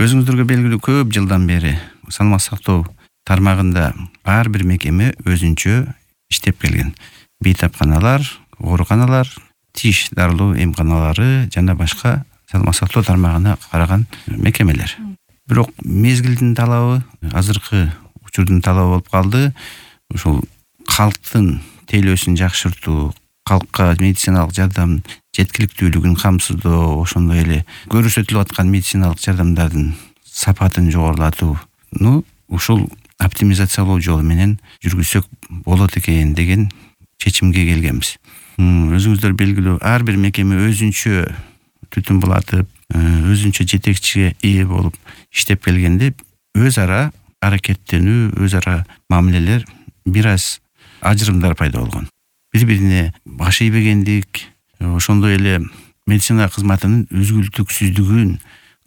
Өзүңүздөргө белгилүү көп жылдан бери саламат сактоо тармагында ар бир мекеме өзүнчө иштеп келген. Бейтапканалар, ооруканалар, тиш дарылоо эмканалары жана башка саламат сактоо тармагына караган мекемелер. Бирок мезгилдин талабы, азыркы учурдун талабы болуп калды. Ушул калктын тейлөөсүн жакшыртуу, калкка медициналык жардам жеткиликтүүлүгүн камсыздоо, ошондой эле көрсөтүлүп аткан медициналык жардамдардын сапатын жогорулатууну ушул оптимизациялоо жолу менен жүргүзсөк болот экен деген чечимге келгенбиз. Өзүңүздөр белгилүү, ар бир мекеме өзүнчө түтүн булатып, өзүнчө жетекчиге ээ болуп иштеп келгенде өз ара аракеттенүү, өз ара мамилелер бир аз ажырымдар пайда болгон. Бири-бирине баш ийбегендик, ошондой эле медицина кызматынын үзгүлтүксүздүгүн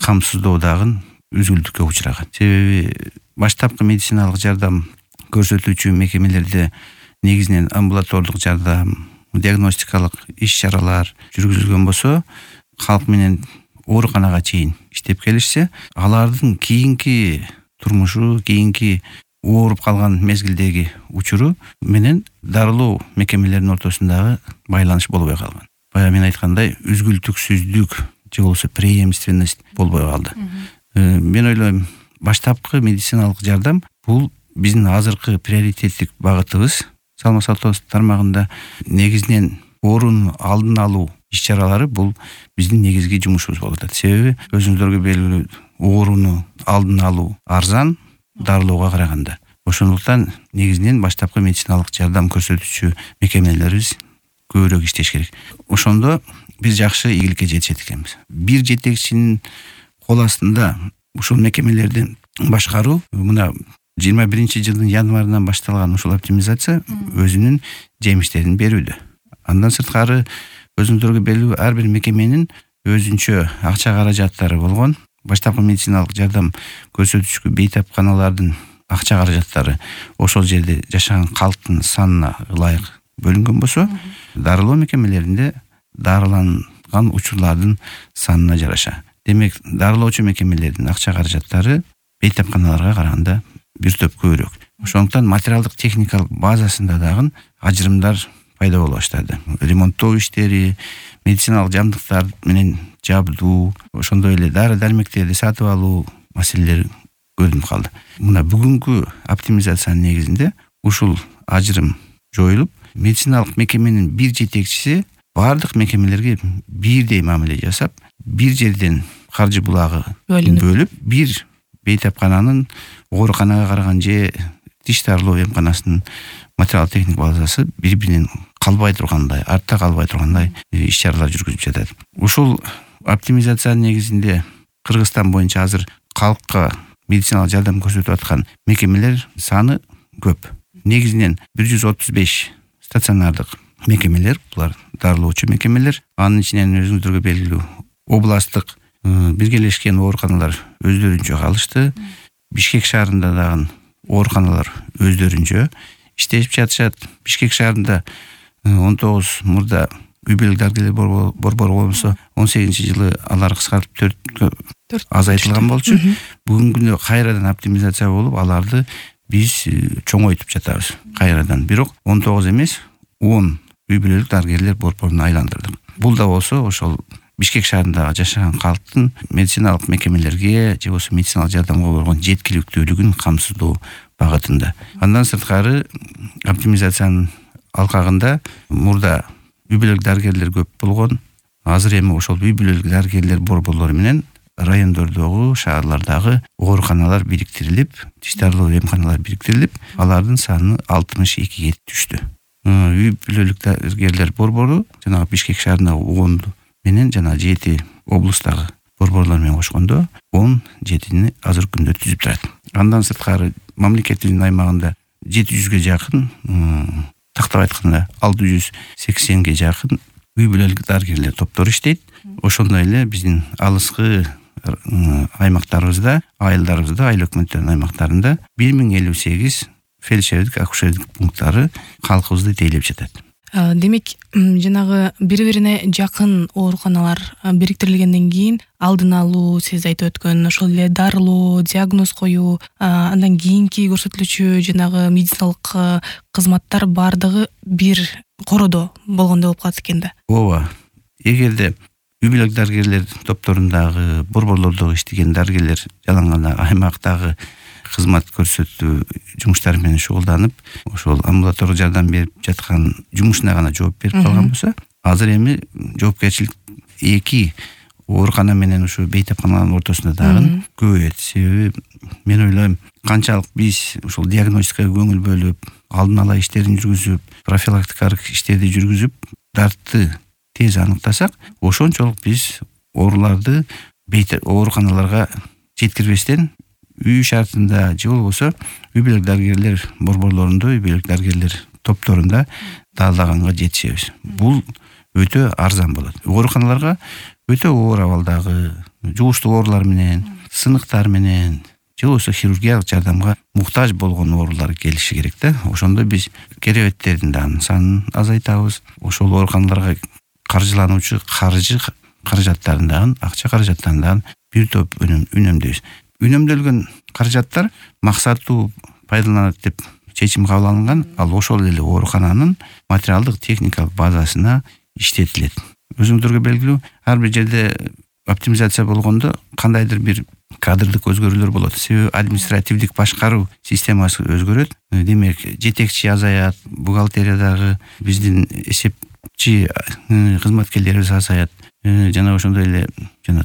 камсыздоо дагы үзгүлтүккө учураган. Себеби баштапкы медициналык жардам көрсөтүүчү мекемелерде негизинен амбулатордук жардам, диагностикалык иш-чаралар жүргүзүлгөн болсо, калк менен ооруканага чейин иштеп келишсе, алардын кийинки турмушу, кийинки ооруп калган мезгилдеги учуру менен дарылоо мекемелеринин ортосундагы байланыш болбой калган. Бая мен айткандай, үзгүлтүксүздүк же болбосо преемственность болбой калды. Мен ойлойм, баштапкы медициналык жардам бул биздин азыркы приоритеттик багытыбыз. Саламат сактоо тармагында негизинен оорунун алдын алуу иш-чаралары бул биздин негизги жумушубуз болуп атат. Себеби өзүңүздөргө белгилүү, ооруну алдын алуу арзан дарылоого караганда. Ошондуктан негизинен баштапкы медициналык жардам көрсөтүүчү мекемелерибиз көбүрөөк иштеш керек. Ошондо биз жакшы ийгиликке жетишет экенбиз. Бир жетекчинин кол астында ушул мекемелерди башкаруу, мына 21-жылдын январынан башталган ушул оптимизация өзүнүн жемиштерин берүүдө. Андан сырткары өзүңүздөргө белгилүү, ар бир мекеменин өзүнчө акча каражаттары болгон. Баштапкы медициналык жардам көрсөтүүчү бейтапканалардын акча каражаттары ошол жерде жашаган калктын санына ылайык бөлүнгөн болсо, дарылоо мекемелеринде дарыланган учурлардын санына жараша. Демек, дарылоочу мекемелердин акча каражаттары бейтапканаларга караганда бир топ көбүрөөк. Ошондуктан материалдык техникалык базасында дагы ажырымдар пайда боло баштады. Ремонттоо иштери, медициналык жабдыктар менен жабдуу, ошондой эле дары-дармектерди сатып алуу маселелери көрүнүп калды. Мына бүгүнкү оптимизациянын негизинде ушул ажырым жоюлуп, медициналык мекеменин бир жетекчиси бардык мекемелерге бирдей мамиле жасап, бир жерден каржы булагы бөлүп, бир бейтапкананын ооруканага караган же тиш дарылоо эмканасынын материал техник базасы бири-биринен калбай тургандай, артта калбай тургандай иш-чаралар жүргүзүп жатат. Ушул оптимизациянын негизинде Кыргызстан боюнча азыр калкка медициналык жардам көрсөтүп аткан мекемелер саны көп. Негизинен 135 стационардык мекемелер, булар дарылоочу мекемелер. Анын ичинен өзүңүздөргө белгилүү, областтык биргелешкен ооруканалар өздөрүнчө калышты. Бишкек шаарында дагы ооруканалар өздөрүнчө иштешип жатышат. Бишкек шаарында 19 мурда үй бүлөлүк дарыгерлер борбору болсо, 18-жылы алар кыскартып 4 азайтылган болчу. Бүгүнкү күндө кайрадан оптимизация болуп, аларды биз чоңойтуп жатабыз кайрадан. Бирок 19 эмес, 10 үй бүлөлүк дарыгерлер борборуна айландырдык. Бул да болсо ошол Бишкек шаарындагы жашаган калктын медициналык мекемелерге же болбосо медициналык жардамга болгон жеткиликтүүлүгүн камсыздоо багытында. Андан сырткары оптимизациянын алкагында мурда үй бүлөлүк дарыгерлер көп болгон. Азыр эми ошол үй бүлөлүк дарыгерлер борборлору менен райондордогу, шаарлардагы ооруканалар бириктирилип, тиш дарылоо эмканалар бириктирилип, алардын саны 62ге түштү. Үй бүлөлүк дарыгерлер борбору жана Бишкек шаарындагы 10 менен жана 7 облустагы борборлор менен кошкондо 17-ни азыр күндө түзүп турат. Андан сырткары мамлекеттин аймагында 700ге жакын, тактап айтканда 680ге жакын үй бүлөлүк дарыгерлер топтор иштейт. Ошондой эле биздин алыскы аймактарыбызда, айылдарыбызда, айыл өкмөттөрүнүн аймактарында 1058 фельдшердик, акушердик пункттары калкыбызды тейлеп жатат. Демек, жанагы бири-бирине жакын ооруканалар бириктирилгенден кийин алдын алуу, сиз айтып өткөн ошол эле дарылоо, диагноз коюу, андан кийинки көрсөтүлүүчү жанагы медициналык кызматтар баардыгы бир короодо болгондой болуп калат экен да. Ооба. Эгерде үй бүлөк дарыгерлер топторундагы, борборлордо иштеген дарыгерлер жалаң гана аймактагы кызмат көрсөтүү жумуштары менен шугулданып, ошол амбулатордук жардам берип жаткан жумушуна гана жооп берип калган болсо, азыр эми жоопкерчилик эки оорукана менен ушу бейтапканалардын ортосунда дагы көбөйөт. Себеби мен ойлойм, канчалык биз ушул диагностикага көңүл бөлүп, алдын ала иштерин жүргүзүп, профилактикалык иштерди жүргүзүп, дартты тез аныктасак, ошончолук биз ооруларды ооруканаларга жеткирбестен үй шартында же болбосо үй бүлөк дарыгерлер борборлорунда, үй бүлөк дарыгерлер топторунда даалдаганга жетишебиз. Бул өтө арзан болот. Ооруканаларга өтө оор абалдагы жугуштуу оорулар менен, сыныктар менен же болбосо хирургиялык жардамга муктаж болгон оорулар келиши керек да. Ошондо биз керебеттердин дагы санын азайтабыз. Ошол ооруканаларга каржылануучу каражаттарын дагы, акча каражаттарын дагы бир топ үнөмдөйбүз. Үнөмдөлгөн каражаттар максаттуу пайдаланат деп чечим кабыл алынган. Ал ошол эле оорукананын материалдык техникалык базасына иштетилет. Өзүңүздөргө белгилүү, ар бир жерде оптимизация болгондо кандайдыр бир кадрдык өзгөрүүлөр болот. Себеби административдик башкаруу системасы өзгөрөт. Демек, жетекчи азаят, бухгалтериядагы биздин эсепчи кызматкерлерибиз азаят. Жана ошондой эле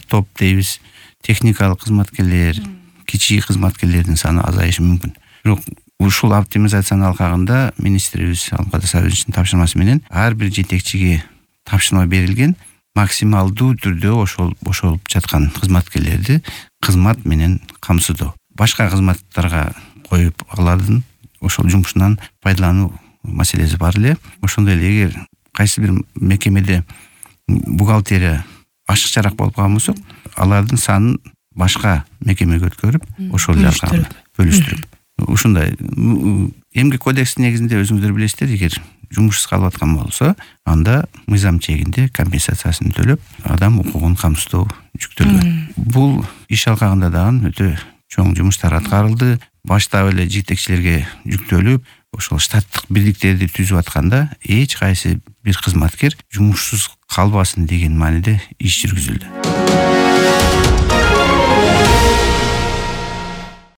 топ дейбиз, техникалык кызматкерлер, кичи кызматкерлердин саны азайышы мүмкүн. Бирок ушул оптимизациянын алкагында министрибиз Алмаз Сабировичтин тапшырмасы менен ар бир жетекчиге тапшырма берилген, максималдуу түрдө ошол бошолуп жаткан кызматкерлерди кызмат менен камсыздоо. Башка кызматтарга коюп алардын ошол жумушунан пайдалануу маселеси бар эле. Ошондой эле эгер кайсы бир мекемеде бухгалтерия ашыкчараак болуп калган болсо, алардын санын башка мекемеге өткөрүп, ошол эле бөлүштүрүп. Ушундай эмгек кодекстин негизинде өзүңүздөр билесиздер, эгер жумушсуз калып аткан болсо, анда мыйзам чегинде компенсациясын төлөп, адам укугун камсыздоо жүктөлгөн. Бул иш алкагында дагы өтө чоң жумуштар аткарылды. Баштап эле жетекчилерге жүктөлүп, ошол штаттык бирликтерди түзүп атканда эч кайсы бир кызматкер жумушсуз калбасын деген мааниде иш жүргүзүлдү.